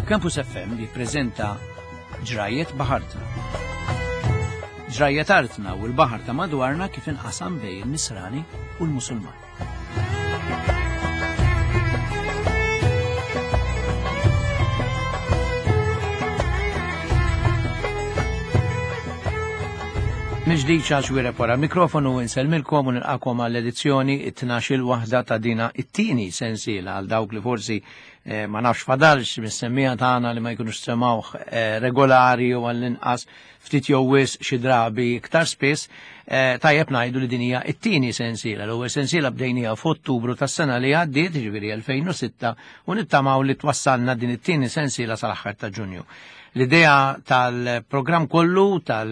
Campus FM jippreżenta Ġrajiet Baħartna. Ġrajiet artna u l-baħar ta' madwarna kif inqasam bejn il-Nisrani u l-Musulman. Mill-ġdid Charles Wirep wara l-mikrofonu insellmilkom u nilqakom għall-edizzjoni it-tnax-il waħda ta' dina it-tieni sensiela għal dawk li forsi eh, ma nafx fadalx mis-semmija tagħna li ma jkunux semawh eh, regolari u għall-inqas ftit jew wisq xi drabi iktar spiss, eh, tajjeb ngħidu li din hija t-tieni sensiela. L-ewwel sensiela bdejnija f'Ottubru tas-sena li għaddiet, jiġifieri 2006, u nittamaw li twassalna din it-tieni sensiela sal-aħħar ta' Ġunju. L-idea tal-programm kollu tal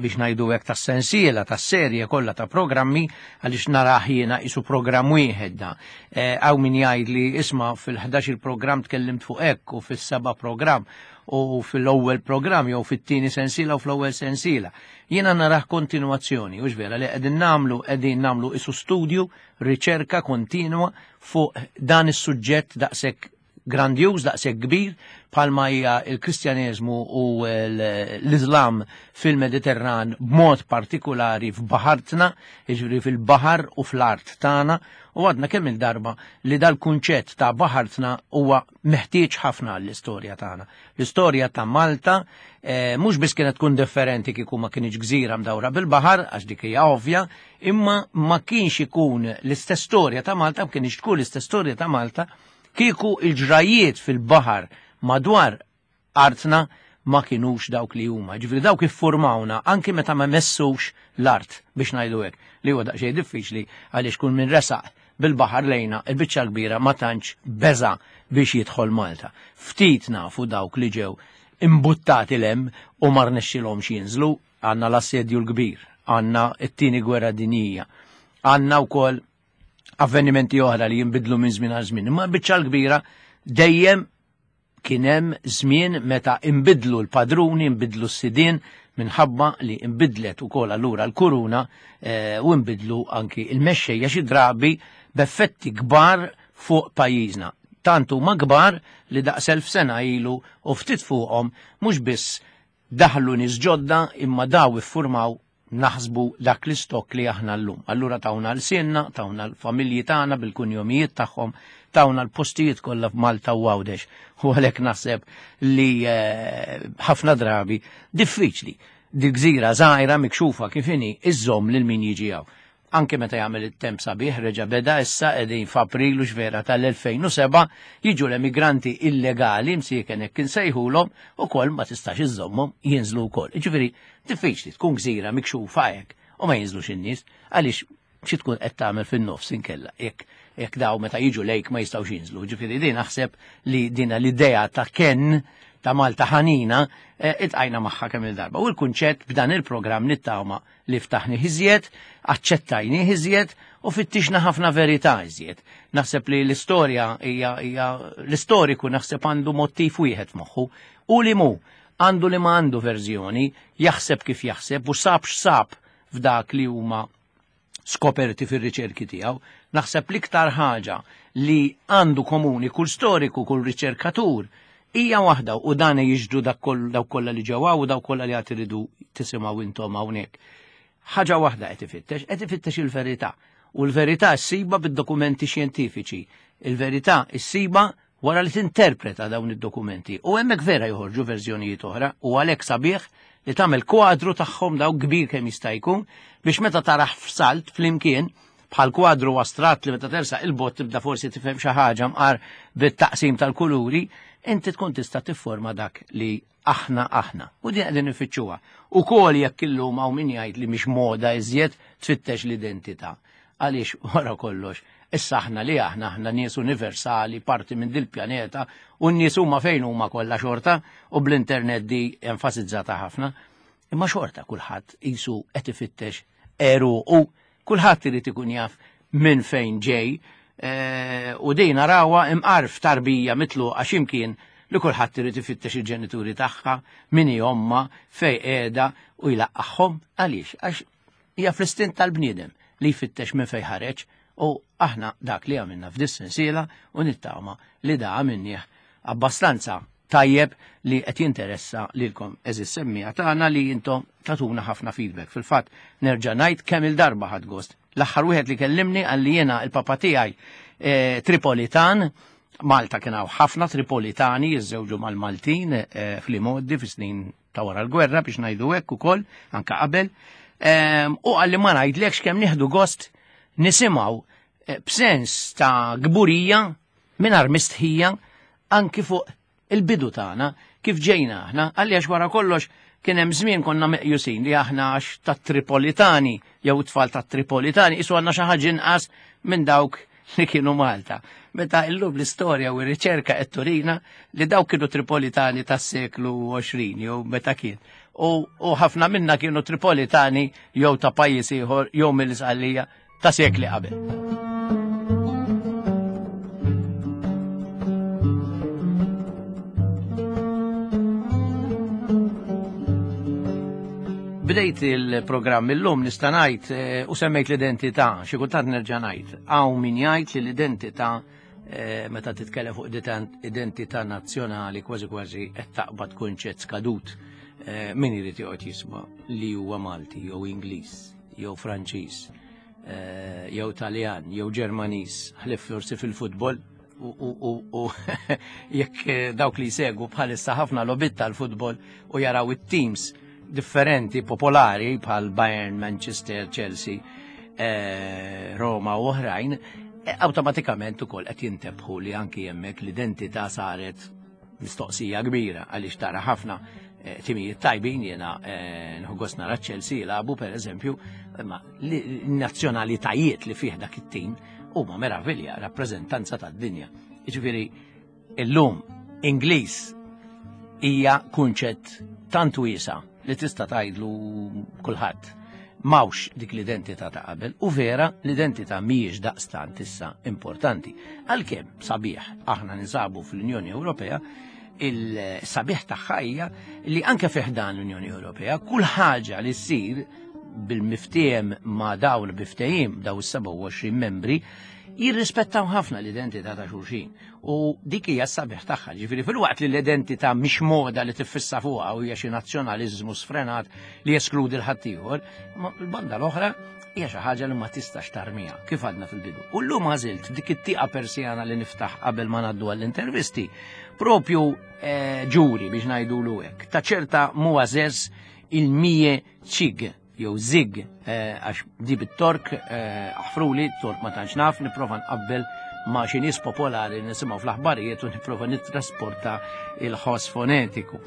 biex ngħidu hekk tas-sensiela tas-serje kollha ta' programmi għaliex narah jiena isu programm wieħed da. Eh, hawn min jgħid li isma' fil-11 il-programm tkellimt fuq hekk u fis-seba' programm u fil-ewwel programm jew fit-tieni sensiela u fl-ewwel sensiela. Jiena narah kontinwazzjoni, u vera li qegħdin nagħmlu qegħdin nagħmlu isu studju, riċerka kontinwa fuq dan is-suġġett daqshekk grandjuż daqshekk kbir bħalma hija l-Kristjaneżmu u l-Iżlam fil-Mediterran b'mod partikulari f'baħartna, jiġifieri fil-baħar u fl-art tagħna, u għadna kemm il-darba li dal-kunċett ta' baħartna huwa meħtieġ ħafna għall-istorja tagħna. L-istorja ta' Malta eh, mhux biss kienet tkun differenti kieku ma kienx gżira mdawra bil-baħar, għax dik hija ovvja, imma ma kienx ikun l-istess storja ta' Malta, ma kienx tkun l-istess storja ta' Malta Kieku il-ġrajjiet fil-baħar madwar artna ma kinux dawk li huma. Ġifieri dawk iffurmawna anki meta ma messux l-art biex ngħidu hekk, li huwa daqsxejn diffiċli għaliex kull min resaq bil-baħar lejna il-biċċa kbira ma tantx beża biex jidħol Malta. Ftit nafu dawk li ġew imbuttati lem u ma rnexxilhomx jinżlu, għandna l-assedju l-kbir, għandna t-tieni gwerra dinjija, għandna wkoll avvenimenti oħra li jinbidlu minn żmien għal żmien. Imma biċċa l-kbira dejjem kien hemm żmien meta inbidlu l-padruni, inbidlu s-sidien minħabba li inbidlet ukoll allura l-kuruna eh, u inbidlu anki il-mexxejja xi drabi b'effetti kbar fuq pajjiżna. Tant huma kbar li daqs elf sena ilu u ftit fuqhom mhux biss daħlu nies ġodda imma daw iffurmaw naħsbu dak l-istokk li aħna llum. Allura tawna l-sienna, tawna l-familji tagħna bil-kunjomijiet tagħhom, tawna l-postijiet kollha f'Malta u Għawdex. U għalhekk naħseb li eh, ħafna drabi diffiċli di gżira żgħira mikxufa kif inhi iżżomm lil min jiġi hawn. Anke meta jagħmel it-temp sabiħ reġa' beda issa qegħdin f'April u x'vera tal-2007 jiġu l-emigranti illegali msieken hekk insejħulhom ukoll ma tistax iżżommhom jinżlu wkoll. Jiġifieri diffiċli tkun gżira mikxufa hekk u ma jinżlux in-nies għaliex xi tkun qed tagħmel fin-nofs inkella jekk jekk daw meta jiġu lejk ma jistgħux jinżlu. Ġifieri din naħseb li dina l-idea ta' ken ta' Malta ħanina eh, itqajna magħha kemm il-darba. U l-kunċett b'dan il-programm nittama li ftaħnih iżjed, aċċettajnih iżjed u fittixna ħafna verità iżjed. Naħseb li l-istorja hija l-istoriku naħseb għandu mottiv wieħed f'moħħu u li mu għandu li ma għandu verżjoni, jaħseb kif jaħseb u sab x'sab f'dak li huma skoperti fir-riċerki tiegħu. Naħseb l-iktar ħaġa li għandu komuni kull storiku, kull riċerkatur, hija waħda u dan jiġdu dak dawk kollha li ġewwa u dawk kollha li għad iridu tisimgħu intom hawnhekk. Ħaġa waħda qed ifittex, qed ifittex il-verità. U l-verità ssiba bid-dokumenti xjentifiċi. Il-verità ssiba wara li tinterpreta dawn id-dokumenti. U hemmhekk vera joħorġu verżjonijiet oħra u għalhekk sabiħ li tagħmel kwadru tagħhom daw kbir kemm jista' jkun biex meta taraħ f'salt flimkien bħal kwadru astratt li meta tersaq il-bot tibda forsi tifhem xi ħaġa mqar bit-taqsim tal-kuluri, inti tkun tista' tifforma dak li aħna aħna. U din qegħdin nifittxuha. Ukoll jekk illum hawn min jgħid li mhix moda iżjed tfittex l-identità. Għaliex wara kollox, issa aħna li aħna aħna nies universali, parti minn dil-pjaneta, u n-nies huma fejn huma kollha xorta, u bl-internet di enfasizzata ħafna. Imma xorta kulħadd qisu qed ifittex għeruqu Kulħadd irid ikun jaf minn fejn ġej eh, u din narawha imqar f'tarbija mitluqa x'imkien li kulħadd irid ifittex il-ġenituri tagħha, min hi omma, fej qiegħda u jlaqqagħhom għaliex għax hija fl-istint tal-bniedem li jfittex minn fejn ħareġ u aħna dak li għamilna f'dis sensiela u nittama li da għamilnieh abbastanza. tajjeb li qed jinteressa lilkom eżis semmija tagħna li intom tatuna ħafna feedback. Fil-fatt nerġa' ngħid kemm il-darba ħadd gost. L-aħħar wieħed li kellimni qal li jiena il-papa tiegħi eh, Tripolitan, Malta kien hawn ħafna Tripolitani jiżżewġu mal-Maltin eh, fl-imoddi fis-snin ta' wara l-gwerra biex ngħidu hekk ukoll anka qabel. Ehm, u qalli ma ngħidlekx kemm nieħdu gost nisimgħu eh, b'sens ta' gburija mingħajr mistħija anki fuq il-bidu tagħna kif ġejna aħna għalli għax wara kollox kien hemm żmien konna meqjusin li aħna għax tat-Tripolitani jew tfal tat-Tripolitani isu għandna xi ħaġa inqas minn dawk li kienu Malta. Meta illum l-istorja u r-riċerka qed turina li dawk kienu Tripolitani tas-seklu 20 jew meta kien. U, u ħafna minna kienu Tripolitani jew ta' pajjiż ieħor jew mill-Isqallija ta' sekli qabel. Bdejt il-programm illum nista' ngħid eh, u semmejt l-identità, xi kultant nerġa' ngħid. Hawn min jgħid li l-identità eh, meta titkellem fuq identità nazzjonali kważi kważi qed taqbad kunċett skadut eh, min irid joqgħod jisma' li huwa Malti jew Ingliż jew Franċiż eh, jew Taljan jew Ġermaniż ħlif forsi fil-futbol u jekk eh, dawk li jsegwu bħalissa ħafna lobit tal-futbol u jaraw it-teams differenti popolari bħal Bayern, Manchester, Chelsea, eh, Roma u oħrajn, awtomatikament ukoll qed jintebħu li anki hemmhekk l-identità saret mistoqsija kbira għaliex tara ħafna eh, timijiet tajbin jiena eh, nħu gost nara Chelsea jilagħbu pereżempju, imma l-nazzjonalitajiet li fih dak it-tim huma meravilja, rappreżentanza tad-dinja. Jiġifieri illum Ingliż hija kunċett tant wiesa li tista' tgħidlu kulħadd. Mawx dik l-identità ta' qabel u vera l-identità mhijiex daqstant issa importanti. Għalkemm sabiħ aħna ninsabu fl-Unjoni Ewropea, il-sabiħ tagħha hija li anke fih dan l-Unjoni Ewropea kull ħaġa li ssir bil-miftiem ma' dawn biftehim daw is-27 membri jirrispettaw ħafna l-identità ta' xulxin. U dik hija s-sabiħ tagħha, ġifieri filwaqt li l-identità mhix moda li tiffissa fuqha u hija xi nazzjonaliżmu sfrenat li jeskludi l-ħaddieħor, ma l-banda l-oħra hija xi ħaġa li ma tistax tarmiha, kif għadna fil-bidu. U llum għażilt dik it-tieqa persjana li niftaħ qabel ma ngħaddu għall-intervisti, propju eh, ġuri biex ngħidulu hekk, ta' ċerta muażeż il-mije ċig jew zig eh, għax di bit-Tork eh, aħfruli, Tork ma tantx naf, nipprova nqabbel ma' xi nies popolari nisimgħu fl-aħbarijiet u nipprova nittrasporta il-ħoss fonetiku.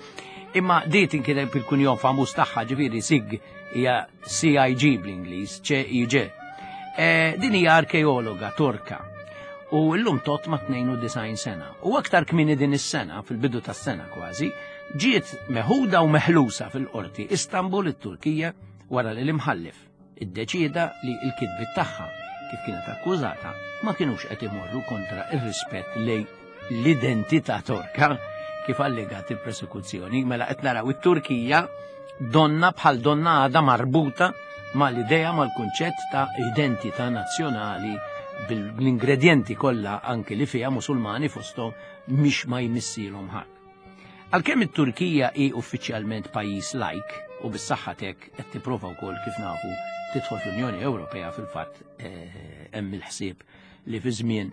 Imma di tinkiteb il-kunjom famuż tagħha ġifieri sig hija CIG bl-Ingliż, C-I-G. Eh, din hija arkeologa Torka u llum tot ma' 92 sena. U aktar kmini din is-sena, fil-bidu tas-sena kważi, ġiet meħuda u meħlusa fil-qorti Istanbul it-Turkija wara li l-imħallef iddeċieda li l-kitbiet tagħha kif kienet akkużata ma kinux qed imorru kontra ir-rispett lej l-identità Torka kif allegat il-prosekuzzjoni mela qed naraw it-Turkija donna bħal donna għadha marbuta mal-idea mal-kunċett ta' identità nazzjonali bil-ingredjenti kollha anki li fiha Musulmani fosthom mhix ma jmissilhom ħadd. Għalkemm it-Turkija hi uffiċjalment pajjiż lajk u bis-saħħa t'hekk qed tipprova wkoll kif nafu tidħol fl-Unjoni Ewropea fil-fatt eh, hemm il-ħsieb li fi żmien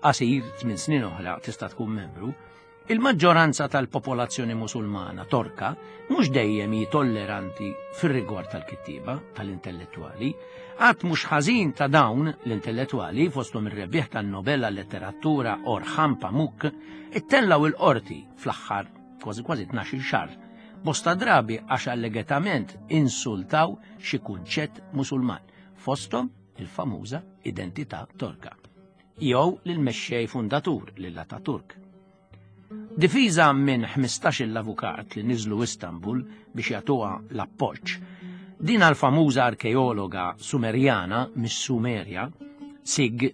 qasir tmien snin oħra tista' tkun membru, il-maġġoranza tal-popolazzjoni Musulmana Torka mhux dejjem hi tolleranti fir-rigward tal-kittieba tal-intellettwali. Għadd mhux ħażin ta' dawn l-intellettwali fosthom ir-rebbieħ tan-Nobel għal-letteratura Orhan Pamuk Ittellgħu il-qorti fl-aħħar kważi kważi 12 xahar bosta drabi għax allegatament insultaw xi kunċett Musulman, fosthom il-famuża identità Torka, jew lill-mexxej fundatur lil Ataturk. Difiża minn 15 l-avukat li niżlu Istanbul biex jagħtuha l-appoġġ, din l-famuża arkeologa Sumerjana mis-Sumerja, Sig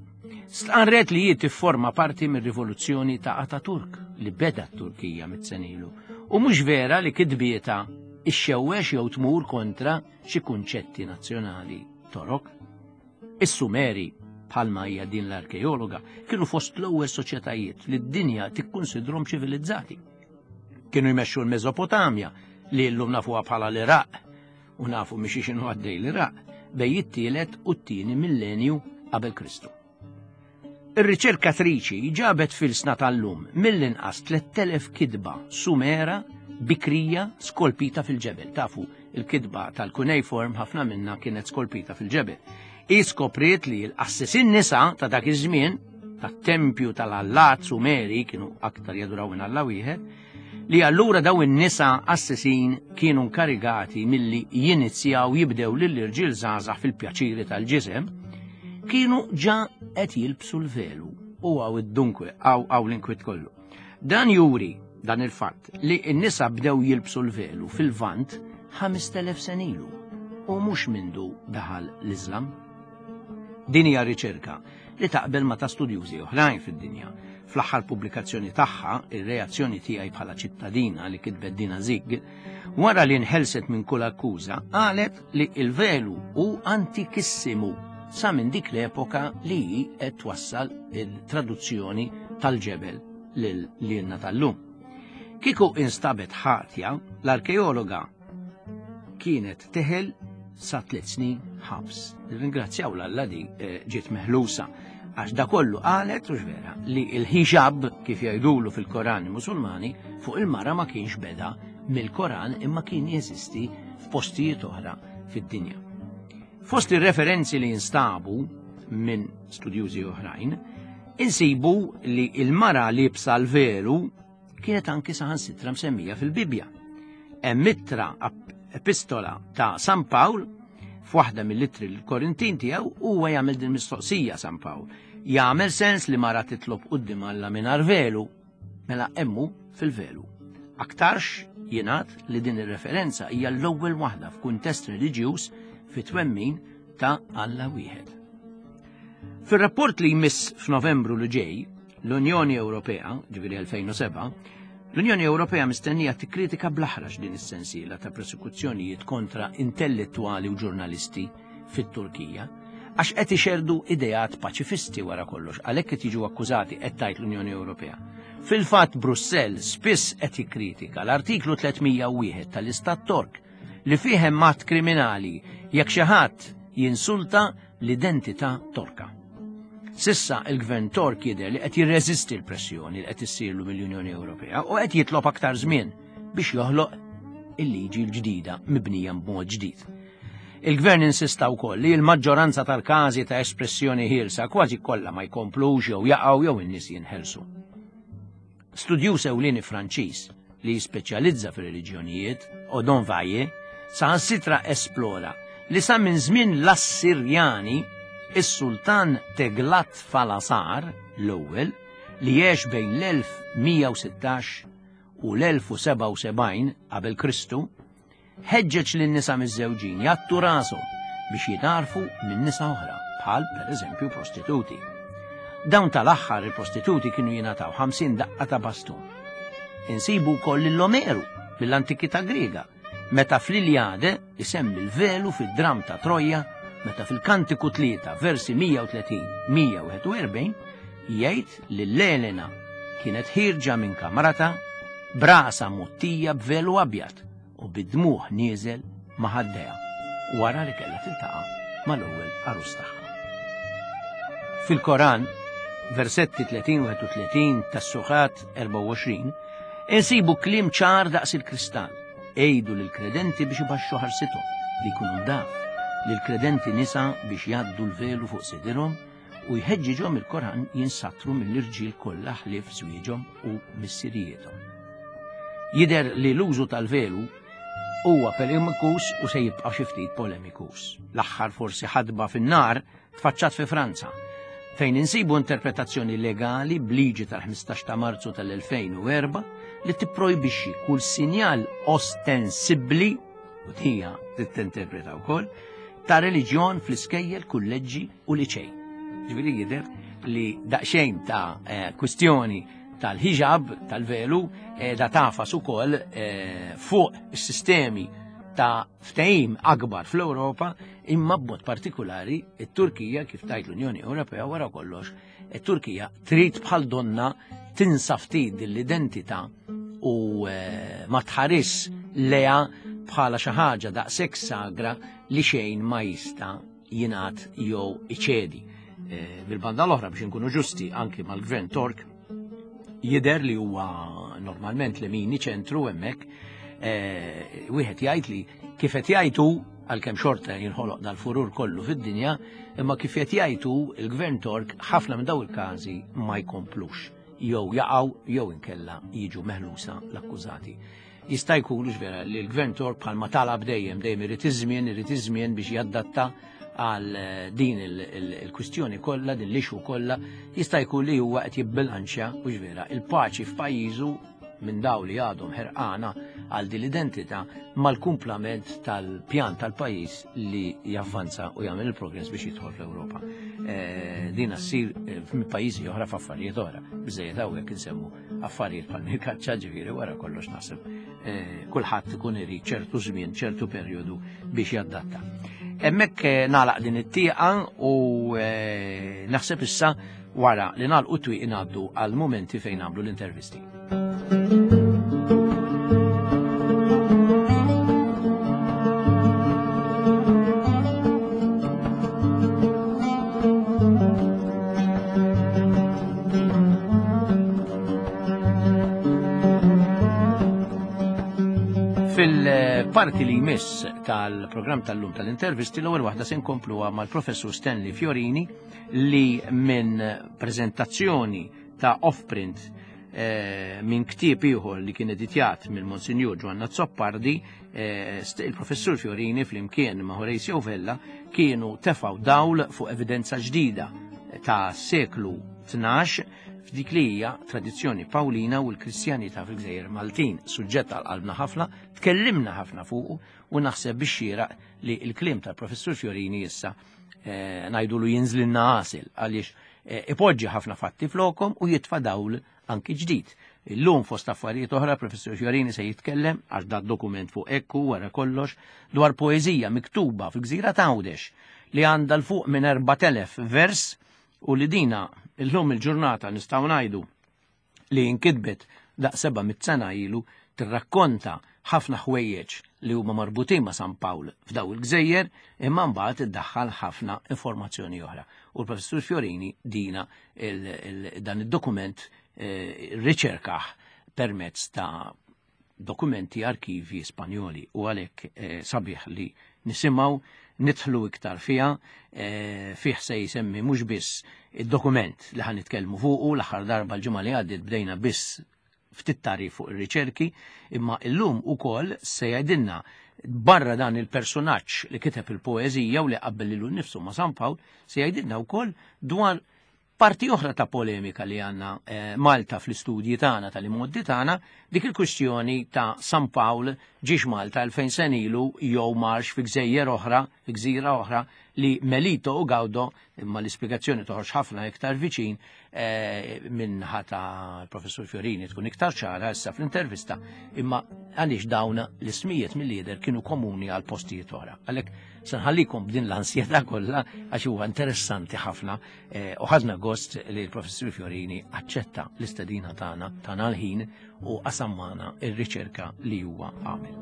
Stqarret li hi tifforma parti mir-rivoluzzjoni ta' Ataturk li beda t-Turkija mit-senilu u mhux vera li kitbietha ixxewwex jew tmur kontra xi kunċetti nazzjonali Torok. Is-Sumeri, bħalma hija din l-arkeologa, kienu fost l-ewwel soċjetajiet li d-dinja tikkunsidrhom ċivilizzati. Kienu jmexxu l-Mesopotamja li llum nafuha bħala l-Iraq u nafu mhix x'inhu għaddej l-Iraq bejn it-tielet u t-tieni millenju qabel Kristu. Ir-riċerkatriċi ġabet fil-sna tal-lum mill-inqas 3000 kitba Sumera bikrija skolpita fil-ġebel. Tafu, il-kitba tal-cuneiform ħafna minna kienet skolpita fil-ġebel. Hi skopriet li l-qassisin nisa ta' dak iż-żmien tat-tempju tal-allat Sumeri kienu aktar jaduraw minn Alla wieħed, li allura daw in-nisa qassisin kienu nkarigati milli jinizjaw jibdew lill-irġiel żgħażagħ fil-pjaċiri tal-ġisem, kienu ġa qed jilbsu l-velu u għaw id-dunkwe għaw għaw l-inkwit kollu. Dan juri dan il-fatt li n-nisa bdew jilbsu l-velu fil-Lvant 5000 senilu u mhux mindu daħal l-Iżlam. Din hija riċerka li taqbel ma' ta' studjużi oħrajn fid-dinja. Fl-aħħar pubblikazzjoni tagħha, Ir-reazzjoni tiegħi bħala ċittadina li kitbet Dina Zig, wara li nħelset minn kull akkuża, qalet li l-velu hu antikissimu sa minn dik l-epoka li hi qed twassal il-traduzzjoni tal-ġebel lil lilna tal-lum. Kieku instabet ħatja, l-arkeologa kienet teħel sa tliet snin ħabs. Ringrazzjaw l-Alla di eh, ġiet meħlusa għax da kollu qalet u vera li il-hijab kif jgħidulu fil-Koran Musulmani fuq il-mara ma kienx beda mill-Koran imma kien jeżisti f'postijiet oħra fid-dinja. Fost ir-referenzi li jinstabu minn studjużi oħrajn, insibu li il-mara libsa l-velu kienet anki saħansitra msemmija fil-Bibbja. Hemm ittra epistola ta' San Pawl f'waħda mill-ittri l-Korintin tiegħu huwa jagħmel din mistoqsija San Pawl. Jagħmel sens li mara titlob quddiem Alla mingħajr velu, mela emmu fil-velu. Aktarx jingħad li din ir-referenza hija l-ewwel waħda f'kuntest reliġjuż fi twemmin ta' Alla wieħed. Fir-rapport li jmiss f'Novembru li ġej, L-Unjoni Ewropea, ġifieri 2007, l-Unjoni Ewropea mistennija tikkritika bl-aħrax din is-sensiela ta' prosekuzzjonijiet kontra intellettwali u ġurnalisti fit-Turkija għax qed ixerdu ideat paċifisti wara kollox, għalhekk qed jiġu akkużati qed tgħid l-Unjoni Ewropea. Fil-fatt Brussell spiss qed jikkritika l-artiklu 301 tal-Istat Tork li fih hemm att kriminali jekk xi ħadd jinsulta l-identità Torka. Sissa il-Gvern Tork jidher li qed jirreżisti l-pressjoni li qed issirlu mill-Unjoni Ewropea u qed jitlob aktar żmien biex joħloq il-liġi l-ġdida mibnija b'mod ġdid. Il-Gvern insista wkoll li l-maġġoranza tal-każi ta' espressjoni ħielsa kważi kollha ma jkomplux jew jaqgħu jew in-nies jinħelsu. Studjuż ewlieni Franċiż li jispeċjalizza fir-reliġjonijiet, Odon Valle, saħansitra esplora li sa minn żmien l-Assirjani, is-Sultan Teglat-Falasar l-ewwel, li għex bejn l-1116 u l-1077 qabel Kristu, Ħeġġeġ lin-nisa miżżewġin jgħattu rashom biex jingħarfu minn nisa oħra, bħal pereżempju prostituti. Dawn tal-aħħar il-prostituti kienu jingħataw 50 daqqa ta' bastun. Insibu wkoll lil Omeru mill-antikità Griega, meta fl-Iljade isemmi l-velu fid-dramm ta' Troja, meta fil-Kantiku 3 versi 130-141 jgħid li l-Elena kienet ħierġa minn kamrata b'rasha mgħottija b'velu abjad u bid-dmugħ nieżel ma' ħaddejha wara li kellha tiltaqa' mal-ewwel għarus tagħha. Fil-Koran, versetti 30-31 tas-Surat 24, insibu kliem ċar daqs il-kristall. Għidu lill-kredenti biex ibaxxu ħarsithom, li jkunu ndaf, lill-kredenti nisa biex jgħaddu l-velu fuq sidirhom u jħeġġiġhom il-Koran jinsatru mill-irġiel kollha ħlief żwieġhom u missirijiethom. Jidher li l-użu tal-velu huwa polemikus u se jibqa' xi ftit polemikus. L-aħħar forsi ħadba fin-nar tfaċċat fi Franza, fejn insibu interpretazzjoni legali b'liġi tal-15 ta' Marzu tal-2004 li tipprojbixxi kull sinjal ostensibbli u tija tinterpreta wkoll ta' reliġjon fl-iskejjel, kulleġġi u liċej. Ġifieri jidher li daqsxejn ta' eh, kwistjoni tal-hijab, tal-velu, eh, da tafas ukoll eh, fuq is-sistemi ta' ftehim akbar fl-Ewropa imma b'mod partikolari it-Turkija kif tajt l-Unjoni Ewropea wara kollox it-Turkija trid bħal donna tinsa ftit din l-identità u eh, ma tħares leha bħala xi ħaġa daqshekk sagra li xejn ma jista' jingħad jew iċedi. Eh, bil-banda l-oħra biex inkunu ġusti anki mal-gvern Tork jidher li huwa normalment li mini ċentru hemmhekk eh, wieħed jgħid li kif qed jgħidu għalkemm xorta jinħoloq dal-furur kollu fid-dinja, imma kif qed jgħidu il-gvern Tork ħafna minn daw il-każi ma jkomplux jew jaqgħu jew inkella jiġu meħlusa l-akkużati. Jista' jkun vera li l-Gvern Tork bħalma talab dejjem dejjem irid iż-żmien, irid iż-żmien biex jadatta għal eh, din il-kwistjoni kollha, din l-ixu kollha, jista' jkun li huwa qed jibbilanċja u vera il-paċi f'pajjiżu minn daw li għadhom ħerqana għal din l-identità mal-kumplament tal-pjan tal-pajjiż li javvanza u jagħmel il-progress biex jidħol fl-Ewropa. Eh, din ssir eh, minn pajjiżi oħra f'affarijiet oħra. Biżejjed hawnhekk insemmu affarijiet bħal mill-kaċċa ġifieri wara kollox naħseb eh, kulħadd ikun irid ċertu żmien, ċertu perjodu biex jadatta. Hemmhekk eh, nagħlaq din it-tieqa u eh, naħseb issa wara li nagħlqu twieq ngħaddu għal mumenti fejn nagħmlu l-intervisti. Fil-parti li jmiss tal-programm tal-lum tal-intervisti l-ewwel waħda se nkompluha mal-professur Stanley Fiorini li minn prezentazzjoni ta' offprint eh, minn ktieb ieħor li kien editjat mill Monsinjur Ġwanna Zoppardi, eh, il-professur Fiorini flimkien ma' Horatio Vella kienu tefaw dawl fuq evidenza ġdida ta' seklu 12 f'dik li hija tradizzjoni Pawlina u l-Kristjanità fil-Gżejjer Maltin, suġġett għal qalbna ħafna, tkellimna ħafna fuqu u naħseb biex xieraq li l-kliem tal-professur Fiorini issa eh, ngħidulu jinżlilna għasil għaliex eh, ipoġġi ħafna fatti flokom u jitfa' dawl anki ġdid. Illum fost affarijiet oħra Professur Fiorini se jitkellem għax dat dokument fuq ekku wara kollox dwar poeżija miktuba fil-gżira t'Għawdex li għandha l fuq minn 4000 vers u li dina illum il-ġurnata nistgħu ngħidu li inkitbet daq 700 sena ilu tirrakkonta ħafna ħwejjeġ li huma marbutin ma' San Pawl f'daw il-gżejjer imma mbagħad iddaħħal ħafna informazzjoni oħra. U l-Professur Fiorini dina dan id-dokument eh, riċerkaħ permezz ta' dokumenti arkivi Spanjoli u għalhekk eh, sabiħ li nisimgħu nidħlu iktar fiha eh, fih se jisemmi mhux biss id-dokument li ħan nitkellmu fuqu l-aħħar darba l-ġimgħa li għaddiet bdejna biss ftit tarif fuq ir-riċerki, imma illum ukoll se jgħidilna barra dan il-personaġġ li kiteb il-poeżija u li qabbel lilu nnifsu ma' San Pawl, se jgħidilna wkoll dwar parti oħra ta' polemika li għandna eh, Malta fl-istudji tagħna tal-imoddi tagħna, dik il-kwistjoni ta' San Pawl ġiex Malta 2000 sen ilu jew marx fi gżejjer oħra, fi gżira oħra li Melito u Gawdo imma l-ispjegazzjoni toħroġ ħafna iktar viċin eh, minn ħata l-professur Fiorini tkun iktar ċara issa fl-intervista, imma għaliex dawn l-ismijiet mill-lider kienu komuni għal postijiet oħra. Għalhekk se nħallikom b'din l-ansjetà kollha għax huwa interessanti ħafna eh, u ħadna gost li l-professur Fiorini aċċetta l-istedina tagħna tagħna l-ħin u qasam magħna ir-riċerka li huwa għamel.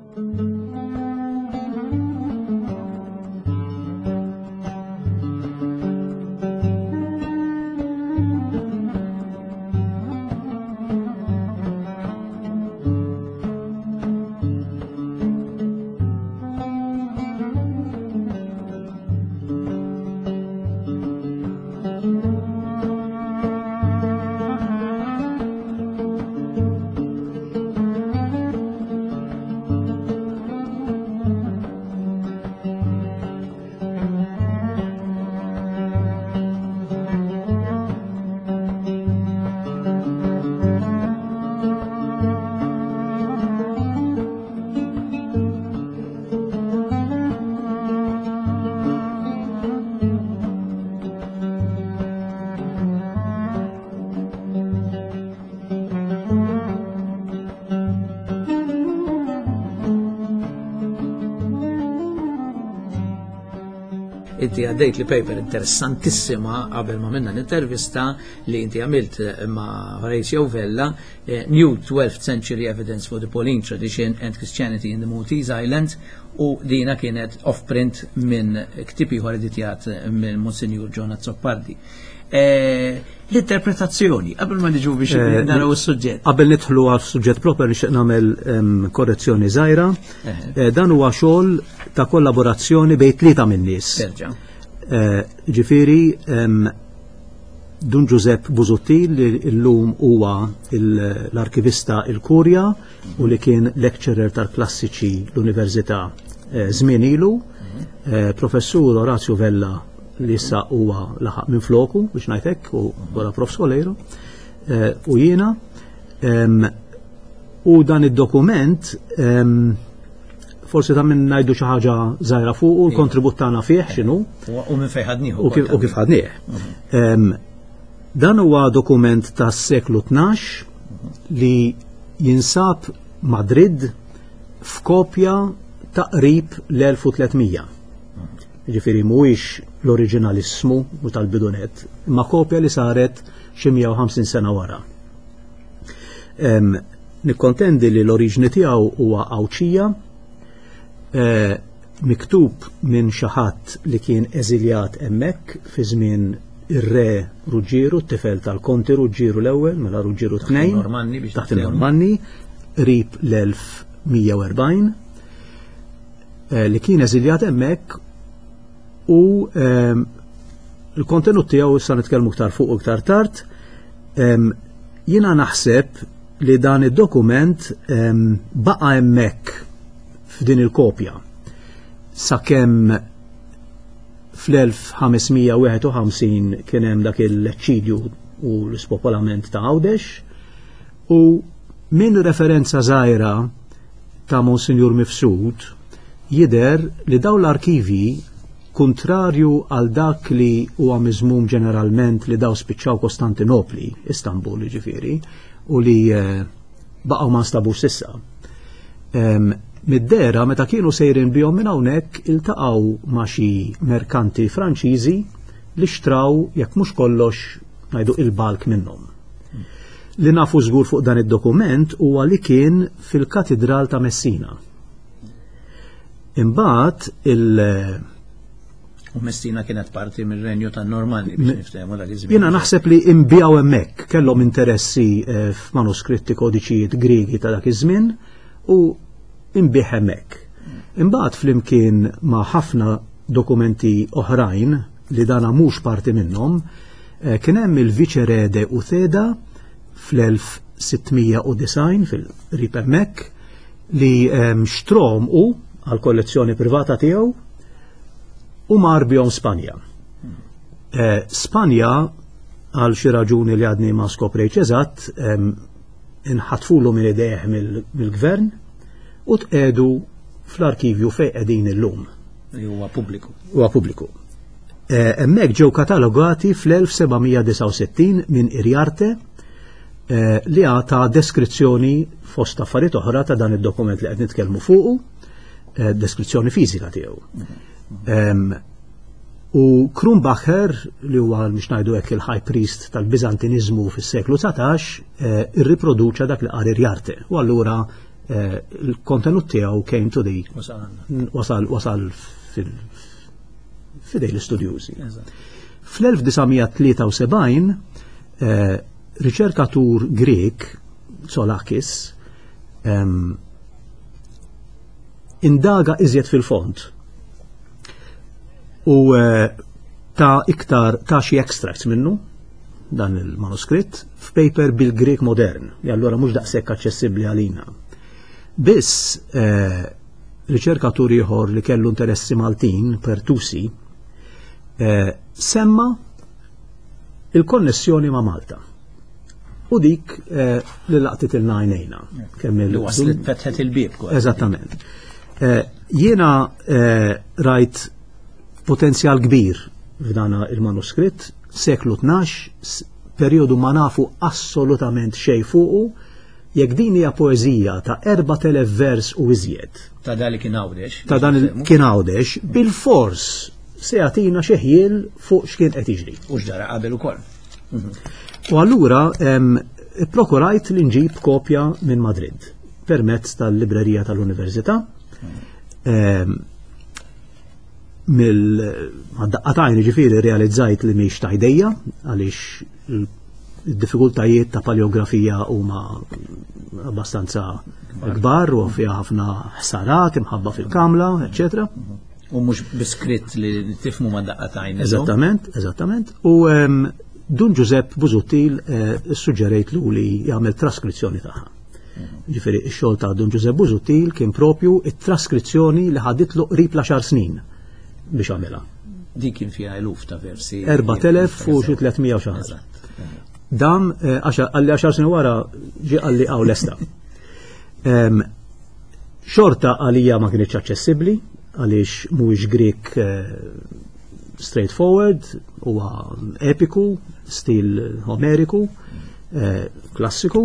Inti għaddejt li paper interessantissima qabel ma minna l-intervista li inti għamilt ma' Horatio Vella, New 12th Century Evidence for the Pauline Tradition and Christianity in the Maltese Islands, u dina kienet off-print minn ktieb ieħor editjat minn Monsignor John Azzopardi. L-interpretazzjoni, qabel ma niġu biex naraw is-suġġett. Qabel nidħlu għal suġġett proper nixtieq nagħmel korrezzjoni żgħira. Dan huwa xogħol ta' kollaborazzjoni bejn tlieta min-nies. Ġifieri Dun Giuseppe Busuttil li llum huwa l-arkivista il-Kurja u li kien lecturer tal-klassiċi l-Università żmien ilu, Professur Orazio Vella li issa huwa laħaq minn floku biex ngħid hekk u wara Prof Solero u jiena. U dan id-dokument forsi ta' minn ngħidu xi ħaġa żgħira fuq u l-kontribut tagħna fih x'inhu. U minn fejn ħadnieh. U kif ħadnieh. Dan huwa dokument tas-seklu 12 li jinsab Madrid f'kopja ta' qrib l-1300. Ġifieri mhuwiex l-oriġinalismu u tal-bidunet, imma kopja li saret xi 150 sena wara. Nikkontendi li l-oriġni tiegħu huwa Għawdxija, miktub minn xi ħadd li kien eżiljat hemmhekk fi żmien ir-re Ruġġieru, t-tifel tal-Konti Ruġġieru l-ewwel, mela Ruġġieru tnejn. Normanni biex Taħt il-Normanni, qrib l-1140, li kien eżiljat hemmhekk u l-kontenut tiegħu issa nitkellmu iktar fuq iktar tard. Jiena naħseb li dan id-dokument baqa' hemmhekk f'din il-kopja sakemm fl-1551 kien hemm dak il-eċċidju u l-ispopolament ta' Għawdex u minn referenza żgħira ta' Monsinjur Mifsud jidher li dawn l-arkivji, kuntrarju għal dak li huwa miżmum ġeneralment li daw spiċċaw Kostantinopli, Istanbul jiġifieri, u li baqgħu ma nstabux s'issa. Mid-dehra meta kienu sejrin bihom minn hawnhekk iltaqgħu ma' xi merkanti Franċiżi li xtraw jekk mhux kollox ngħidu il-balk minnhom. Li nafu żgur fuq dan id-dokument huwa li kien fil-Katidral ta' Messina. Imbagħad il- U Messina kienet parti mir-renju tan-Normanni biex niftehmu dak iż-żmien. Jiena naħseb li imbijaw hemmhekk kellhom interessi f'manuskritti kodiċijiet Griegi ta' dak iż-żmien u imbih hemmhekk. Imbagħad flimkien ma' ħafna dokumenti oħrajn li dana mhux parti minnhom, kien hemm il-Viċerede Utheda fl-1690 fil-qrib hemmhekk li xtrom u għal kollezzjoni privata tiegħu u mar bihom Spanja. Spanja għal xi raġuni li għadni ma skoprejtx eżatt, inħatfulu minn idejh mill-gvern u tqegħdu fl-arkivju fejn qegħdin illum. Li huwa pubbliku. Huwa pubbliku. Hemmhekk ġew katalogati fl-1769 minn Iriarte li għata deskrizzjoni fost affarijiet oħra ta' dan id-dokument li qed nitkellmu fuqu, deskrizzjoni fiżika tiegħu. U Krumbacher, li huwa biex ngħidu hekk il-high priest tal-Biżantinizmu fis-seklu 19, irriproduċa dak li qal Iriarte. U allura il-kontenut tiegħu came to the wasal wasal fidej l-istudjużi. Fl-1973 riċerkatur Grek, Tsolakis, indaga iżjed fil-fond u ta' iktar ta' xi extracts minnu dan il-manuskritt f'paper bil-Grek modern, li allura mhux daqshekk aċċessibbli għalina. Biss riċerkatur ieħor li kellu interessi Maltin, Pertusi, semma il-konnessjoni ma' Malta. U dik li laqtit il-najnejna. Kemm il- Waslet fetħet il-bieb. Eżattament. Jiena rajt potenzjal kbir f'dana il-manuskritt, seklu 12, periodu ma nafu assolutament xej fuqu, jekk din hija poeżija ta' 4000 vers u iżjed. Ta' dan li kien Għawdex. Ta' dan li kien Għawdex, bil-fors se jagħtina xi ħjiel fuq x'kien qed jiġri. U x'ġara qabel ukoll. U allura ipprokurajt li nġib kopja minn Madrid permezz tal-librerija tal-Università. Mill-daqqatajn ġifieri realizzajt li mhix ta' jdejja għaliex id-diffikultajiet ta' paleografija huma abbastanza kbar u fiha ħafna ħsarat imħabba fil-kamla, eċetera. U mhux biskritt li tifmu ma' daqqatajn. Eżattament, eżattament. U Dun Giuseppe Busuttil suġġerejtlu li jagħmel traskrizzjoni tagħha. Ġifieri x-xogħol ta' Dun Giuseppe Busuttil kien propju it-traskrizzjoni li ħaditlu qrib l-10 snin biex għamilha. Di kien fiha eluf ta' versi. 4000 u xi 300 u xi ħaġa. Dam għalli 10 snin wara ġie qalli hawn lesta. Xorta għalija ma kienx aċċessibbli għaliex mhuwiex Grek straightforward, huwa epiku, stil omeriku, klassiku,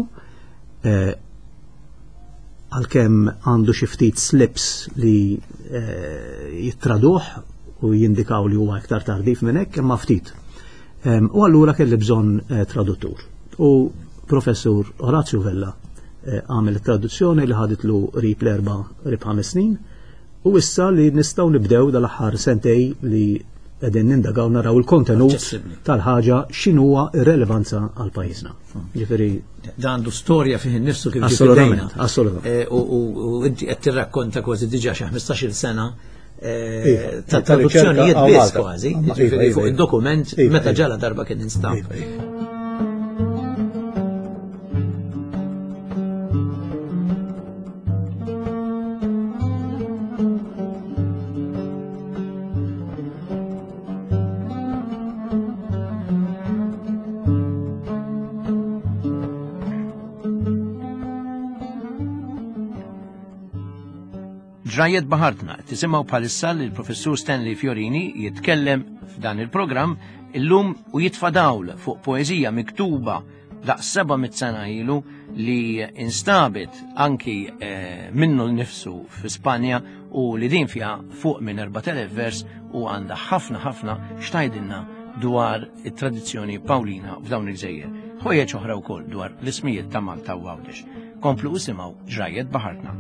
għalkemm għandu xi ftit slips li jittraduh u jindikaw li huwa iktar tardif minn hekk, imma ftit. U allura kelli bżonn traduttur. U professur Orazio Vella għamel it-traduzzjoni li ħaditlu qrib l-erba' qrib 5 snin, u issa li nistgħu nibdew dal-aħħar sentej li qegħdin nindagaw naraw il-kontenut tal-ħaġa x'inhuwa r-relevanza għal pajjiżna. Ġifieri Dan għandu storja fih innifsu kif ġie Assolutament, fidejna. assolutament. U inti qed tirrakkonta kważi diġà xi 15-il sena Iva, ta' ta' traduzzjonijiet riċerka biss għal Malta. kważi, Iva, ġifieri iva, fuq iva. id-dokument Iva, meta iva. ġala darba kien instab. Iva, iva. Ġrajiet Baħartna, tisimgħu bħalissa li l-Professur Stanley Fiorini jitkellem f'dan il-programm illum u jitfa' dawl fuq poeżija miktuba daqs 700 sena ilu li instabet anki minnu nnifsu fi Spanja u li din fiha fuq minn 4000 vers u għandha ħafna ħafna xtajdilna dwar it-tradizzjoni Pawlina f'dawn il-gżejjer. Ħwejjeġ oħra wkoll dwar l-ismijiet ta' Malta u Għawdex. Komplu isimgħu Ġrajiet Baħartna.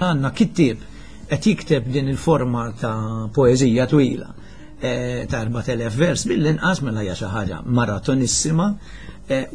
Għanna kittieb qed jikteb din il-forma ta' poeżija twila ta' 4000 vers mill-inqas mela hija xi ħaġa maratonissima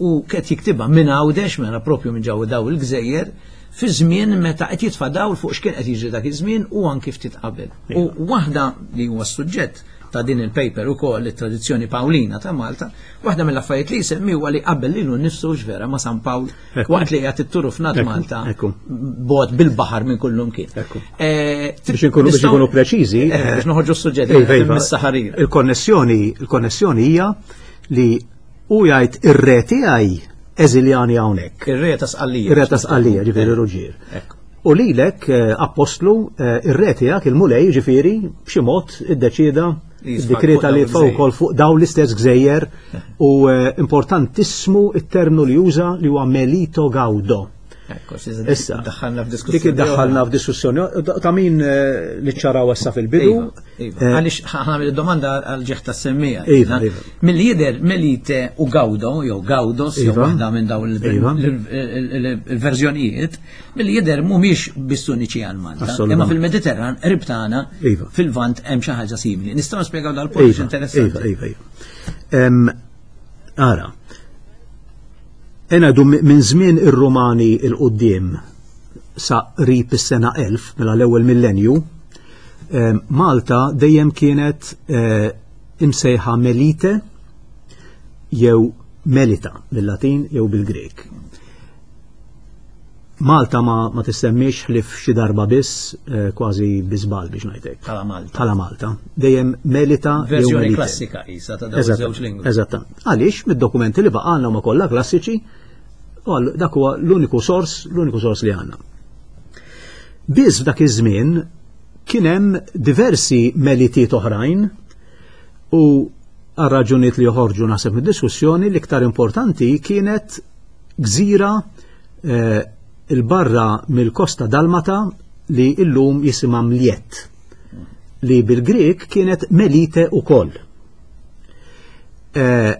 u qed jiktibha minn Għawdex, mela propju minn ġewwa daw il-gżejjer, fi żmien meta qed jitfa' dawl fuq x'kien qed jiġri dak iż-żmien u anki ftit qabel. U waħda li huwa s-suġġett ta' din il-paper ukoll it-tradizzjoni Pawlina ta' Malta, waħda mill-affarijiet li jsemmi huwa li qabel lilu nnifsu x'vera ma' San Pawl waqt li qiegħed it-turufnat Malta bogħod bil-baħar minn kullum kien. Biex inkunu preċiżi, Biex noħorġu s-suġġett, mis-saħarir. Il-konnessjoni hija li u jgħid ir-re tiegħi eżiljani hawnhekk. Ir-re ta' Sqallija. Ir-re ta' Sqallija, ġifieri Ruġġier. U lilek apostlu ir-re tiegħek il-Mulej ġifieri b'xi mod iddeċieda Jisfa' id-dikreta fuq li dawn jitfgħu il-gżejjer. wkoll fuq dawn l-istess gżejjer u importantissimu it-terminu li juża li huwa Melito Gaudo. Ekku, xi Issa, daħħalna f'diskussjoni dik iddaħħalna oħra. f'diskussjoni ta' min li ċaraw issa fil-bidu. Iva, iva. Għaliex ħa nagħmel id-domanda għal ġieħ tas-semmija. Iva, iva. Milli jidher Melite u Gaudo, jew Gaudos, jew waħda minn dawn il-verżjonijiet, milli jidher mhumiex biss uniċi għal Malta. Imma fil-Mediterran, qrib tagħna, fil-Lvant hemm xi ħaġa simili. Nistgħu nispjegaw dal-punt interessanti. Iva, iva, iva. Ara. Enadu minn żmien ir-Rumani il-qudiem sa qrib is-sena 1000, mela l-ewwel millenju, Malta dejjem kienet imsejħa Melite jew Melita bil-Latin jew bil-Grek. Malta ma, ma tissemmix ħlief xi darba biss, eh, kważi biżbal biex ngħidlek. Bħala Malta. Bħala Malta. Dejjem Melita. Verżjoni klassika isa ta' dawn żewġ lingwi. Eżatt. Għaliex mid-dokumenti li baqgħalna huma kollha klassiċi, u dak huwa l-uniku sors, l-uniku sors li għandna. Biss f'dak iż-żmien kien hemm diversi melitiet oħrajn u għal raġunijiet li joħorġu naħseb mid-diskussjoni l-iktar importanti kienet gżira eh, il-barra mill-kosta Dalmata li illum jisimha Mliet li bil-Grek kienet Melite ukoll. Eh,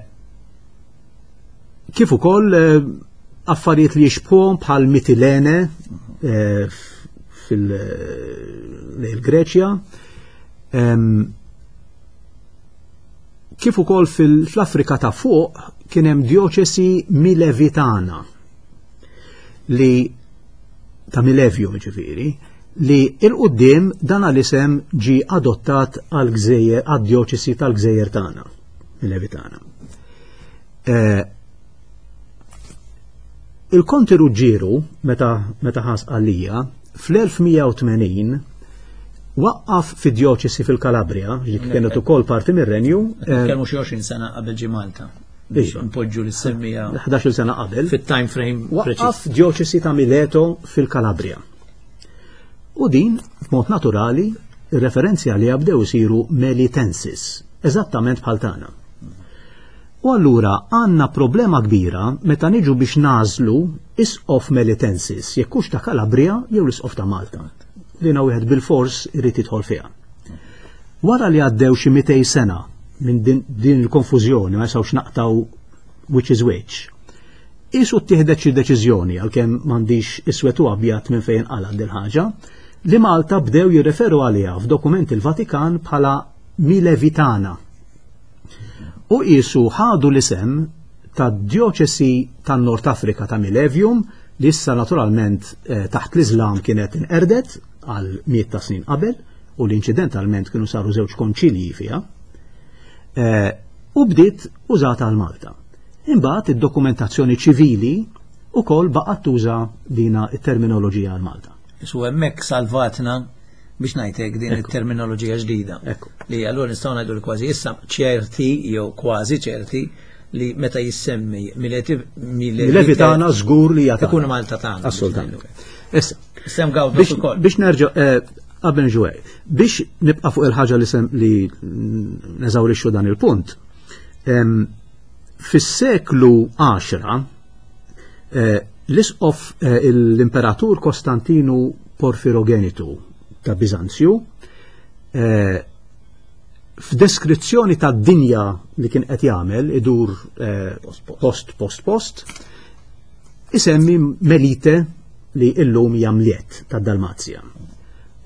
kif ukoll eh, affarijiet li jixbħuhom bħal Mitilene fil-Greċja. Kif ukoll fl-Afrika ta' fuq kien hemm djoċesi Milevitana li ta' Milevju ġifieri li il-qudiem dan l-isem ġi adottat għal gżejjer għad-djoċesi tal-gżejjer tagħna, Milevitana. Eh, il-Konti Ruġġieru meta meta ħas għalija fl-1180 waqqaf fi djoċesi fil-Kalabria, li kienet ukoll parti mir-renju. Eh, Kelmu xi 20 sena qabel ġi Malta. Biex npoġġu l-semmija. 11 sena qabel. Fit-time frame. Waqqaf djoċesi ta' Mileto fil-Kalabria. U din, b'mod naturali, ir-referenzi għaliha bdew isiru Melitensis, eżattament bħal tagħna. U allura għandna problema kbira meta niġu biex nagħżlu isqof Melitensis, jekk hux ta' Calabria jew l-isqof ta' Malta. Dina wieħed bilfors irid jidħol fiha. Wara li għaddew xi 200 sena minn din, din il-konfużjoni ma jistgħux naqtaw which is which. Isu ttieħdet xi deċiżjoni għalkemm m'għandix iswed u abjad minn fejn qalgħet dil ħaġa li Malta bdew jirreferu għaliha f'dokumenti l-Vatikan bħala Milevitana. U qisu ħadu l-isem tad-djoċesi tan-Nord Afrika ta' Milevium li issa naturalment eh, taħt l-Iżlam kienet inqerdet għal miet ta' snin qabel u li inċidentalment kienu saru żewġ konċilji fiha. Eh, u bdiet użata għal Malta. Imbagħad id-dokumentazzjoni ċivili ukoll baqgħet tuża dina it-terminoloġija għal Malta. Su hemmhekk salvatna biex ngħidlek din it-terminoloġija ġdida. Li allura nistgħu ngħidu li kważi issa ċerti jew kważi ċerti li meta jissemmi Milevi tagħna żgur li jagħti. Ikun Malta tagħna. Assolutament. Issa, Sem gawdu ukoll. Biex nerġa' eh, qabel ġuwej, biex nibqa' fuq il-ħaġa li sem li neżawrixxu dan il-punt. Fis-seklu 10 eh, l-isqof eh, l-imperatur Kostantinu Porfirogenitu ta' Bizanzju eh, f'deskrizzjoni ta' dinja li kien qed jagħmel idur post post post isemmi Melite li illum hija Mliet tad-Dalmazja.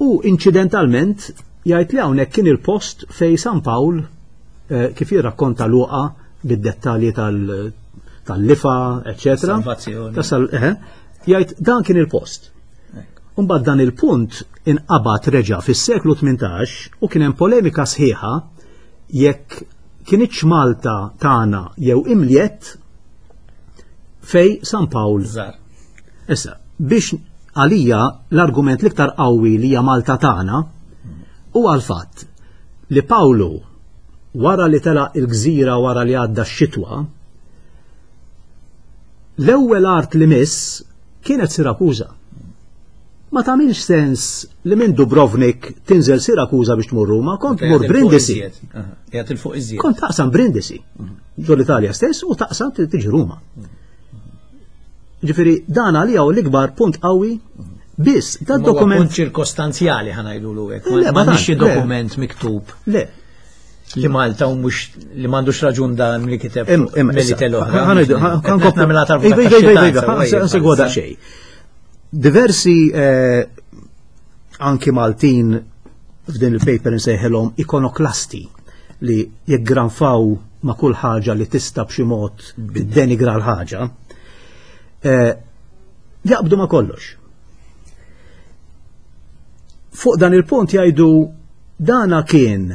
U inċidentalment jgħid li hawnhekk kien il-post fej San Pawl eh, kif jirrakkonta Luqa bid-dettalji tal-lifa, eccetera. Salvazzjoni. Eh, jgħid dan kien il-post. Umbagħad dan il-punt inqabad reġa' fis-seklu 18 u kien hemm polemika sħiħa jekk kienitx Malta tagħna jew imliet fej San Pawl. Issa, biex għalija l-argument l-iktar qawwi li hija Malta tagħna huwa l-fatt li Pawlu wara li telaq il-gżira wara li għadda x-xitwa, l-ewwel art li miss kienet Sirakuża. Ma tagħmilx sens li minn Dubrovnik tinżel Sirakuża biex tmur Ruma, kont tmur Brindisi. Kont taqsam Brindisi, ġol l-Italja stess u taqsam tiġi Ruma. Ġifieri dan għalija u l-ikbar punt qawwi biss da dokument. Punt ċirkostanzjali ħanajdulu hekk. Ma xi dokument miktub. Le. Li Malta u mhux li m'għandux raġun dan li kiteb Melite l-oħra. Ħansegwa daqsxejn. Diversi eh, anki Maltin f'din il-paper nsejħilhom ikonoklasti li jeggranfaw ma' kull ħaġa li tista' b'xi mod tiddenigra l-ħaġa, eh, jaqbdu ma' kollox. Fuq dan il-punt jgħidu dana kien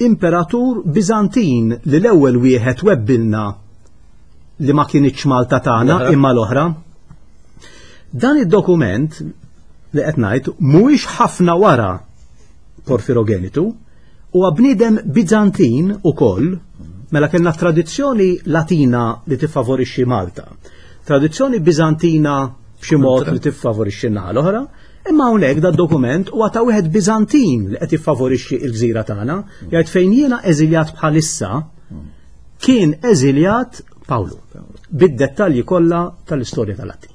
imperatur Bizantin li l-ewwel wieħed webbilna li ma kienitx Malta tagħna imma l-oħra. Dan id-dokument li qed ngħid mhuwiex ħafna wara Porfirogenitu, huwa bniedem Bizantin ukoll, mela kellna tradizzjoni Latina li tiffavorixxi Malta, tradizzjoni Bizantina b'xi mod li tiffavorixxi n-naħa l-oħra, imma hawnhekk da dokument huwa ta' wieħed Bizantin li qed jiffavorixxi l-gżira tagħna, jgħid fejn jiena eżiljat bħalissa kien eżiljat Pawlu, bid-dettalji kollha tal-istorja tal-Atti.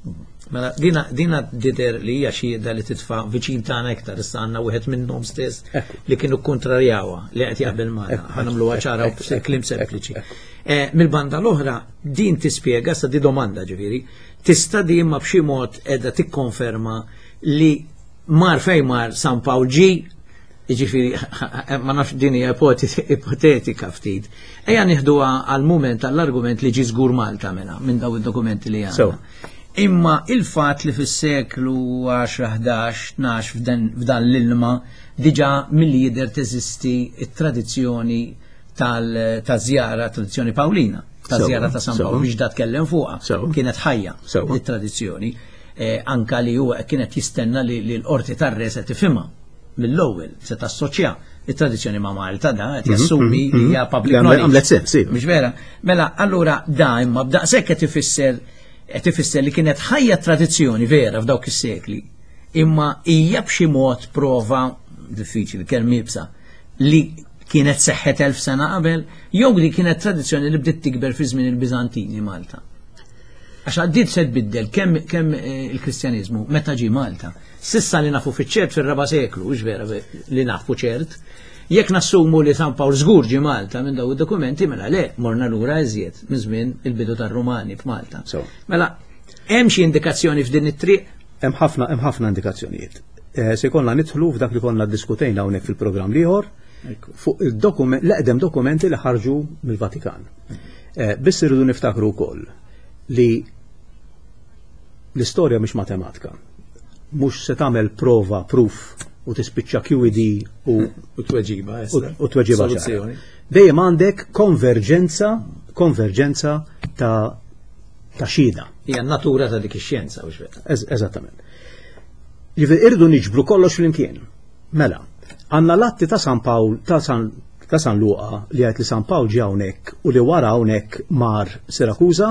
Mela, dina, dina dider li hija xhieda li titfa' viċin tagħna iktar issa għandna wieħed minnhom stess li kienu kontrarjawha li qed jaqbel magħna. Ħa nagħmluha ċara u kliem sempliċi. Eh, mill-banda l-oħra, din tispjega sa di domanda ġifieri, tista' di imma b'xi mod qiegħda tikkonferma li mar fejn mar San Pawl ġi Jiġifieri, ma nafx din hija ipotetika ftit. Ejja nieħduha għal mument għall-argument li ġi żgur Malta mela minn daw id-dokumenti li għandna. Imma il-fatt li fis-seklu 10, 11, 12 f'dan l-ilma diġà milli jidher teżisti t-tradizzjoni tal-żjara, tradizzjoni Pawlina, ta' żjara ta' San Pawl biex da tkellem fuqha. Kienet ħajja it-tradizzjoni. Eh, anka li huwa kienet jistenna li l-qorti tar-re se tifhimha. mill-ewwel se tassoċja it-tradizzjoni ma' Malta da qed mhm, jassumi mhm, li hija mhm. public knowledge. Għamlet sens, iva. Mhux vera? Mela, allura da imma b'daqshekk qed ifisser qed ifisser li kienet ħajja tradizzjoni vera f'dawk is-sekli. Imma hija b'xi mod prova diffiċli kemm ibsa li kienet seħħet elf sena qabel jew li kienet tradizzjoni li bdiet tikber fi żmien il-Biżantini Malta. Għax għaddiet se tbiddel kemm kemm eh, il-Kristjaniżmu meta ġie Malta. S'issa li nafu fiċ-ċert fir-raba' seklu, hux vera li nafu ċert, jekk nassumu li San Pawl żgur ġie Malta minn daw id-dokumenti, mela le, morna lura iżjed minn żmien il-bidu tar-Rumani f'Malta. Mela, hemm xi indikazzjoni f'din it-triq? Hemm ħafna hemm ħafna indikazzjonijiet. Eh, se jkollna nidħlu f'dak li konna ddiskutejna hawnhekk fil-programm l-ieħor fuq il-dokument l-eqdem dokumenti li ħarġu mill-Vatikan. Eh, biss irridu niftakru wkoll li L-istorja mhix matematika. Mhux se tagħmel prova, proof u tispiċċa QED u u tweġiba. U tweġiba. Dejjem għandek konverġenza, konverġenza ta' ta' xhieda. Hija natura ta' dik ix-xjenza u vera. Eżattament. Ġifieri irridu niġbru kollox flimkien. Mela, għandna l-atti ta' San Pawl ta' San ta' San Luqa li għajt li San Pawl ġie hawnhekk u li wara hawnhekk mar Sirakuża,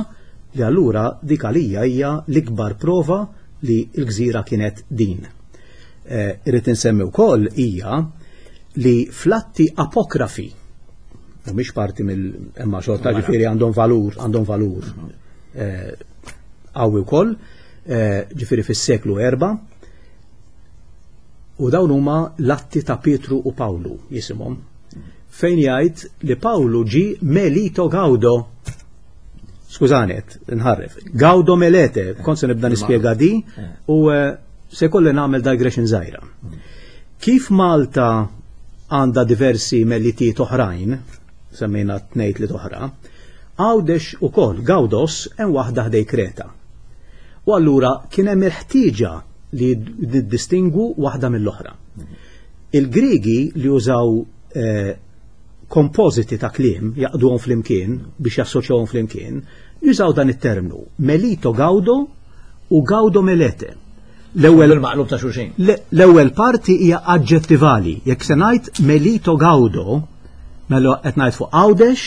li allura dik għalija hija l-ikbar prova li l-gżira kienet din. Eh, irrid insemmi wkoll hija li flatti apokrafi mhumiex parti mill imma xorta ġifieri għandhom valur, għandhom valur eh, qawwi wkoll, eh, ġifieri fis-seklu erba' u dawn huma l-atti ta' Pietru u Pawlu jisimhom, fejn jgħid li Pawlu ġi Melito Gaudo. Skużani, nħarref. Gaudo Melete, kont se nibda nispjega di u eh, se kolli nagħmel digression żgħira. Kif Malta għandha diversi melitiet oħrajn, semmejna tnejt li oħra, Għawdex ukoll Gawdos hemm waħda ħdej Kreta. U allura kien hemm il-ħtieġa li niddistingwu waħda mill-oħra. Il-Griegi li użaw eh, kompożiti ta' kliem jaqduhom flimkien biex jassoċjawhom flimkien, jużaw dan it-terminu melito gaudo u gaudo melete. L-ewwel maqlub ta' xulxin. L-ewwel parti hija aġġettivali. Jekk se ngħid melito gaudo, mela qed ngħid fuq Għawdex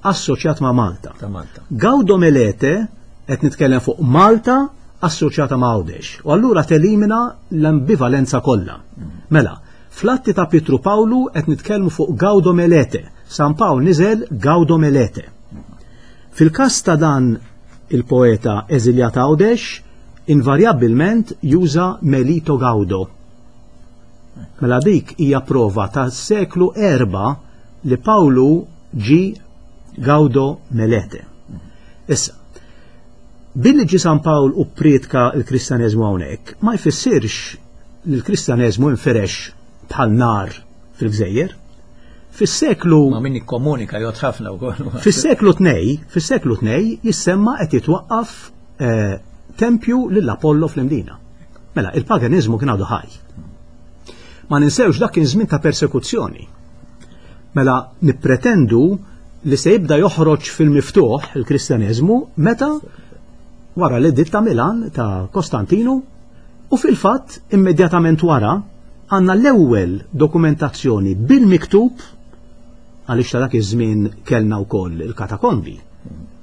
assoċjat ma' Malta. Ta' Malta. Gaudo melete qed nitkellem fuq Malta assoċjata ma' Għawdex. U allura telimina l-ambivalenza kollha. Mela, fl-atti ta' Pietru Pawlu qed nitkellmu fuq Gaudo Melete. San Pawl niżel Gaudo Melete. Fil-każ ta' dan il-poeta eżiljat Għawdex, invarjabbilment juża Melito Gaudo. Mela dik hija prova ta' seklu erba' li Pawlu ġi Gaudo Melete. Issa, Billi ġie San Pawl u pprietka l-Kristjaneżmu hawnhekk, ma jfissirx li l-Kristjaneżmu infirex bħal nar fil-gżejjer. Fis-seklu Ma min ikkomunika jgħod ħafna wkoll. Fis-seklu tnej, fis-seklu tnej jissemma qed jitwaqqaf eh, tempju lil Apollo fl-Imdina. Mela, il-paganiżmu kien għadu ħaj. Ma ninsewx dak kien żmien ta' persekuzzjoni. Mela nippretendu li se jibda joħroġ fil-miftuħ il-Kristjaneżmu meta Wara l-editt ta' Milan ta' Kostantinu u fil-fatt immedjatament wara għandna l-ewwel dokumentazzjoni bil-miktub għaliex ta' dak iż-żmien kellna wkoll il-katakombi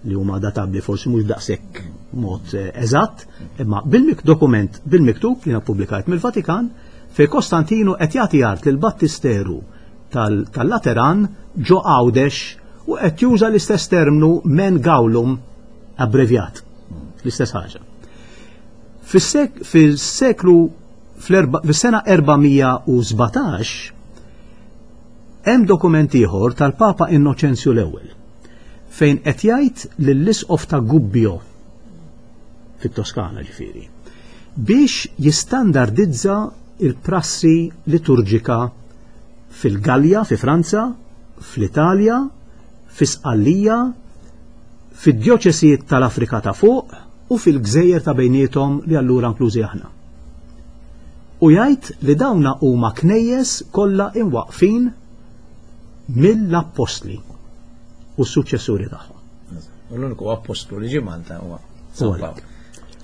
li huma databbli forsi mhux daqshekk mod eh, eżatt, imma bil-dokument bil-miktub li ppubblikajt mill-Vatikan fejn Kostantinu qed jagħti art lil Battisteru tal-Lateran ġo Għawdex u qed juża l-istess termnu men gaulum abbrevjat. L-istess ħaġa. Fis-seklu fis-sena 417 hemm dokument ieħor tal-Papa Innoċenzju l-ewwel fejn qed jgħid lill-isqof ta' Gubbio fit-Toskana ġifieri biex jistandardizza il-prassi liturġika fil-Gallja fi Franza, fl-Italja, fi Sqallija, fid-djoċesijiet tal-Afrika ta' fuq u fil-gżejjer ta' bejniethom li allura inklużi aħna. U jgħid li dawna huma knejjes kollha imwaqqfin mill-appostli u s-suċċessuri tagħhom. U l-uniku appostlu li ġie Malta huwa San Pawl.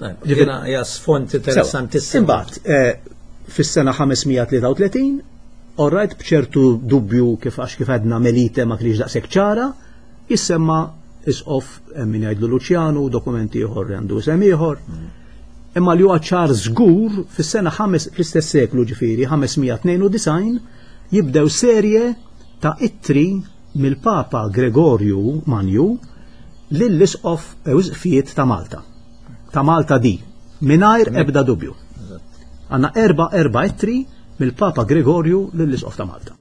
Ġifieri hija sfond interessantissimu. Imbagħad eh, fis-sena 533 Orrajt b'ċertu dubju kif għax kif għedna Melite ma kienx daqshekk ċara, jissemma isqof eh, min jgħidlu Luċjanu, dokumenti ieħor għandu isem ieħor. Imma li huwa ċar żgur fis-sena fl-istess seklu ġifieri 592 jibdew serje ta' ittri mill-Papa Gregorju Manju lill-isqof Ewżqfijiet ta' Malta. Ta' Malta di, mingħajr ebda dubju. Għandna erba' erba' ittri mill-Papa Gregorju lill-Isqof ta' Malta.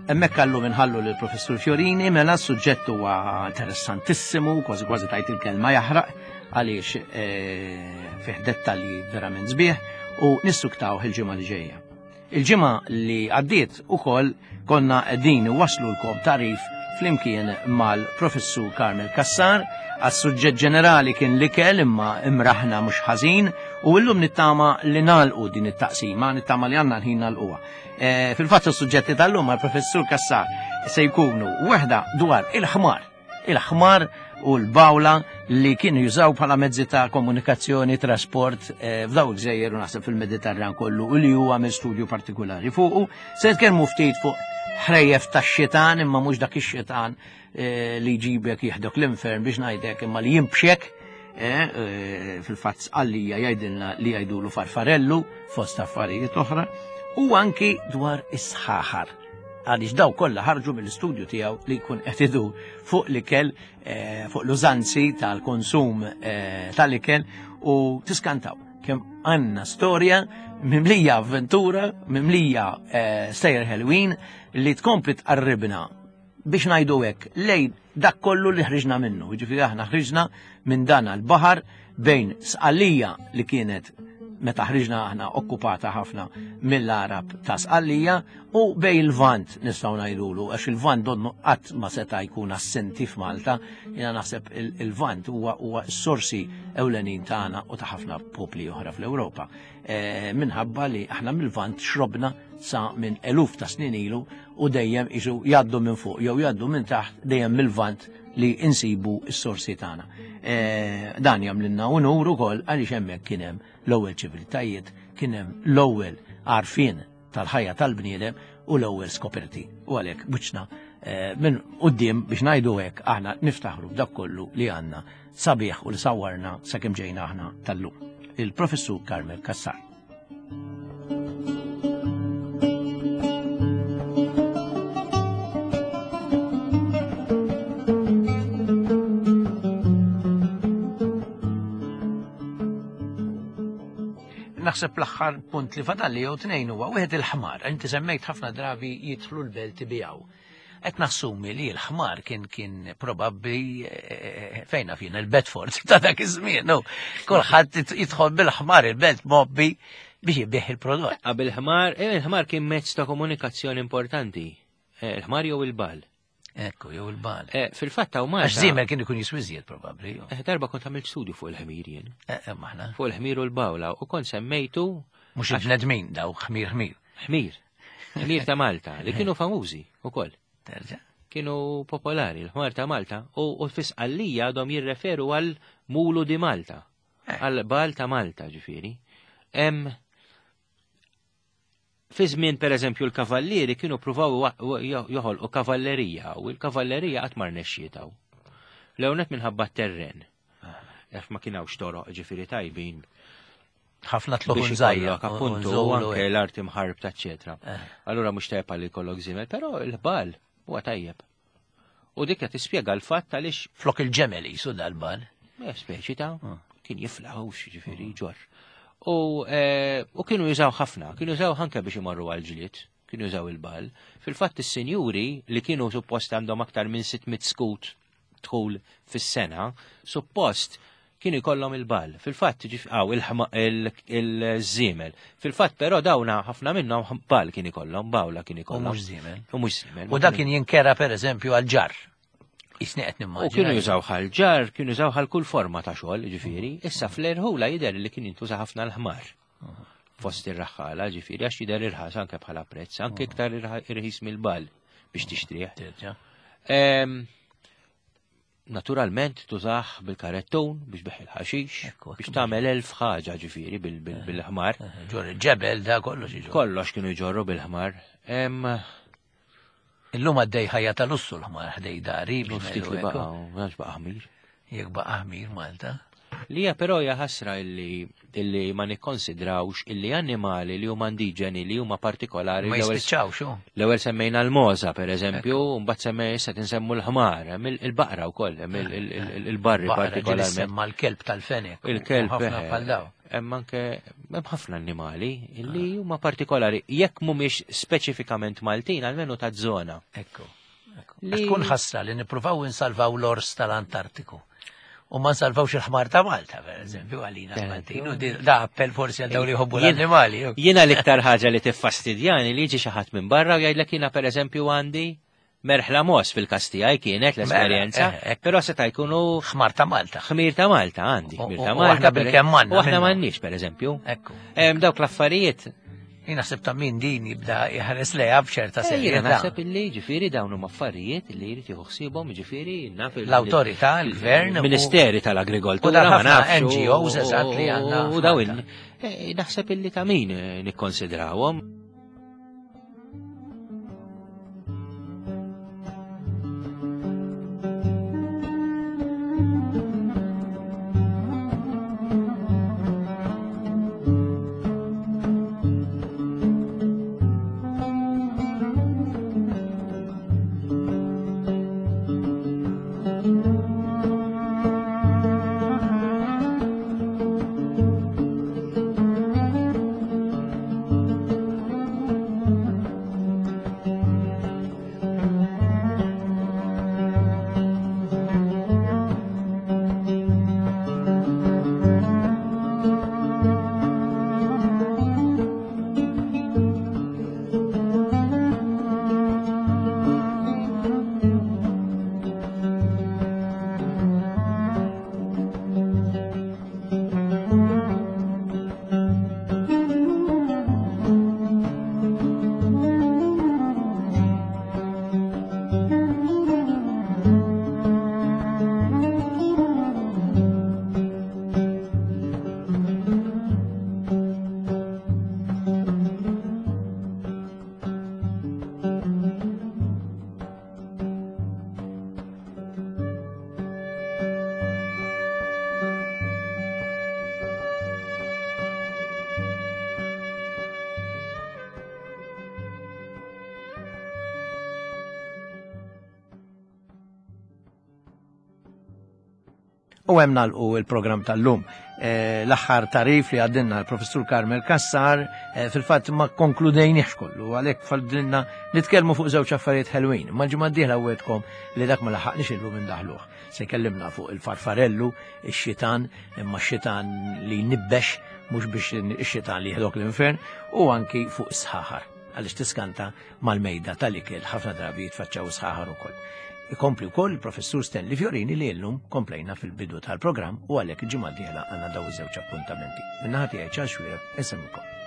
Hemmhekk għallu minħallu lill professur Fiorini mela s-suġġett huwa interessantissimu, kważi kważi tajt il-kelma jaħraq għaliex eh, fih dettalji verament sbieħ u nissuktaw il-ġimgħa li ġejja. Il-ġimgħa li għaddiet ukoll konna qegħdin iwasslulkom tagħrif flimkien mal-Professur Carmel Cassar għas-suġġett ġenerali kien l-ikel imma imraħna mhux ħażin u llum nittama li nagħlqu din it-taqsima, nittama li għandna l-ħin nagħlquha. Eh, fil-fatt is-suġġetti tal-lum mal-Professur Cassar se jkunu waħda dwar il-ħmar il-ħmar u l-bawla li kienu jużaw bħala mezzi ta' komunikazzjoni, trasport eh, f'daw il-gżejjer u naħseb fil-Mediterran kollu u li huwa minn studju partikolari fuqu. Se nitkellmu ftit fuq ħrejjef tax-xitan imma mhux dak ix-xitan eh, li jġibek jieħdok l-infern biex ngħidek imma li jimbxek eh, fil-fatt għallija jgħidilna li jgħidulu farfarellu fost affarijiet oħra u anki dwar is-sħaħar għaliex daw kollha ħarġu mill-istudju tiegħu li jkun qed idur fuq l-ikel, eh, fuq l-użanzi tal-konsum eh, tal-ikel u tiskantaw kemm għandna storja mimlija avventura, mimlija eh, sejjer ħelwin li tkompli tqarribna biex ngħidu hekk lejn dak kollu li ħriġna minnu. Jiġifieri aħna ħriġna minn dan għall-baħar bejn Sqallija li kienet meta ħriġna aħna okkupata ħafna mill-Arab ta' Sqallija u bej il-Vant nistgħu ngħidulu għax il-Vant donnu qatt ma seta' jkun assenti f'Malta, jiena naħseb il-Vant huwa huwa s-sorsi ewlenin tagħna u ta' ħafna popli oħra fl-Ewropa. E, minħabba li aħna mill-Vant xrobna sa minn eluf ta' snin ilu u dejjem isu jgħaddu minn fuq jew jgħaddu minn taħt dejjem mill-vant li insibu s-sorsi tagħna. E, dan jagħmlilna unur ukoll għaliex hemmhekk kien hemm l-ewwel ċiviltajiet, kien hemm l-ewwel għarfien tal-ħajja tal-bniedem u l-ewwel skoperti. U għalhekk wiċċna e, minn quddiem biex ngħidu hekk aħna niftaħru b'dak kollu li għandna sabiħ u li sawwarna sakemm ġejna aħna tal-lum. Il-Professur Carmel Cassar. Naħseb l-aħħar punt li fadalli jew tnejn huwa wieħed il-ħmar. Inti semmejt ħafna drabi jidħlu l-belt ibijaw. Qed nassumi li l-ħmar kien kien probabbli eh, fejna fina il-Bedford ta' dak iż-żmien. Kulħadd jidħol bil-ħmar il-belt mobbi biex jibih il-prodott. Qabel ħmar, eh, il-ħmar kien mezz ta' komunikazzjoni importanti. Eh, il-ħmar jew il-bal. Ekku, jew il-bal. Eh, fil-fatt hawn Malta. Għax żiemel kien ikun jiswiżjed probabbli. Eh, darba kont għamilt studju fuq il-ħmir jien. Eh, maħna. Fuq il-ħmir u l-bawla u kont semmejtu. Mhux il-bnedmin daw ħmir ħmir. Ħmir. Ħmir ta' Malta li kienu famużi ukoll. Terġa'. Kienu popolari l-ħmar ta' Malta u fis-qallija għadhom jirreferu għal mulu di Malta. Għal bal ta' Malta ġifieri. Fi żmien pereżempju l-kavallieri kienu pruvaw joħolqu kavallerija u l-kavallerija qatt ma rnexxiet hawn. L-ewwel minħabba t-terren. Għax ma kien hawnx toroq ġifieri tajbin. Ħafna tluħ żgħira. Appuntu anke l-art imħarbta eċetera. Eh. Allura mhux tajjeb għal jkollok żiemel, però l-ħbal huwa tajjeb. U dik qed tispjega l-fatt għaliex. Flok il-ġemel jisu dal-bal. Eh, speċi ta' ah. kien jiflaħux ġifieri ah. ġor. U, eh, u kienu jużaw ħafna, kienu jużaw ħanka biex imorru għal-ġlied, kienu jużaw il-bal. Fil-fatt is-sinjuri li kienu suppost għandhom aktar minn 600 skut dħul fis-sena, suppost kienu jkollhom il-bal. Fil-fatt għaw il-żiemel. Fil-fatt però dawna ħafna minnhom bal kien ikollhom, bawla kien ikollhom. U mhux żiemel. U mhux żiemel. U dak kien jinkera pereżempju għal ġar. Isni qed nimmaġina. U kienu jużaw għal ġar, kienu jużaw għal kull forma ta' xogħol, ġifieri. Issa fl-erħula jidher li kien jintuża ħafna l-ħmar. Fost ir-raħħala, ġifieri, għax jidher irħas anke bħala prezz, anke iktar irħis mill-bal biex tixtrih. Naturalment tużah bil-karettun biex biħ il-ħaxix, biex tagħmel elf ħaġa ġifieri bil-ħmar. Ġor il-ġebel da kollox iġorru. Kollox kienu jġorru bil-ħmar. Illum għaddej ħajja ta' lussu l-ħmar ħdej dari. Ftit li baqa' għax baqa' ħmir. Jekk baqa' ħmir Malta. Li hija però hija ħasra illi illi ma nikkonsidrawx illi annimali li huma indiġeni li huma partikolari. Ma jispiċċawx hu. L-ewwel semmejna l-moza pereżempju, mbagħad semmej issa tinsemmu l-ħmar, il-baqra wkoll, il-barri partikolarment. Semma l-kelb tal-fenek. Il-kelb. Ħafna bħal daw. Hemm anke hemm ħafna annimali illi huma partikolari jekk mhumiex speċifikament Maltin almenu ta' żona. Ekku. Tkun ħasra li nippruvaw insalvaw l-ors tal-Antartiku. U ma nsalvawx il-ħmar ta' Malta, per eżempju, għalina Maltin. U da appell forsi għal dawn li jħobbu l-annimali. Jiena l-iktar ħaġa li tiffastidjani li jiġi xi ħadd minn barra u jgħidlek jiena pereżempju għandi merħla mos fil-każ tiegħi kienet mela, l-esperjenza, eh, eh. però seta' jkunu ħmar ta' Malta. Ħmir ta' Malta għandi, ħmir ta' Malta. Aħna bil-kemm għandna. U aħna m'għandniex pereżempju. Ekku. Dawk l-affarijiet Jien naħseb ta' min din jibda jħares lejha b'ċerta eh, serjetà. Jiena naħseb illi ġifieri dawn huma affarijiet li jrid jieħu ħsiebhom ġifieri naf l-awtorità, l-gvern, Ministeri tal-Agrikoltura, ma nafx. NGOs eżatt li għandna. U dawn eh, naħseb illi ta' min eh, nikkonsidrawhom. U hemm nagħlqu il-programm tal-lum. Eh, l-aħħar tarif li għaddinna l-professur Carmel Kassar eh, fil-fatt ma konkludejniex kollu, għalhekk fadlilna nitkellmu fuq żewġ affarijiet ħelwin. Ma ġimgħa d-dieħla wetkom li dak ma laħaqniex illum indaħluh. Se jkellimna fuq il-farfarellu, ix-xitan, imma x-xitan li nibbex mhux biex ix-xitan li jieħdok l-infern, u anki fuq is-sħaħar. għaliex tiskanta mal-mejda tal-ikel ħafna drabi jitfaċċaw sħaħar ukoll. Ikompli wkoll il-Professur Stanley Fiorini li llum komplejna fil-bidu tal-programm u għalhekk il-ġimgħa d-dieħla għandna daw iż-żewġ appuntamenti. Min-naħa tiegħi Charles Xuereb, insemmilkom.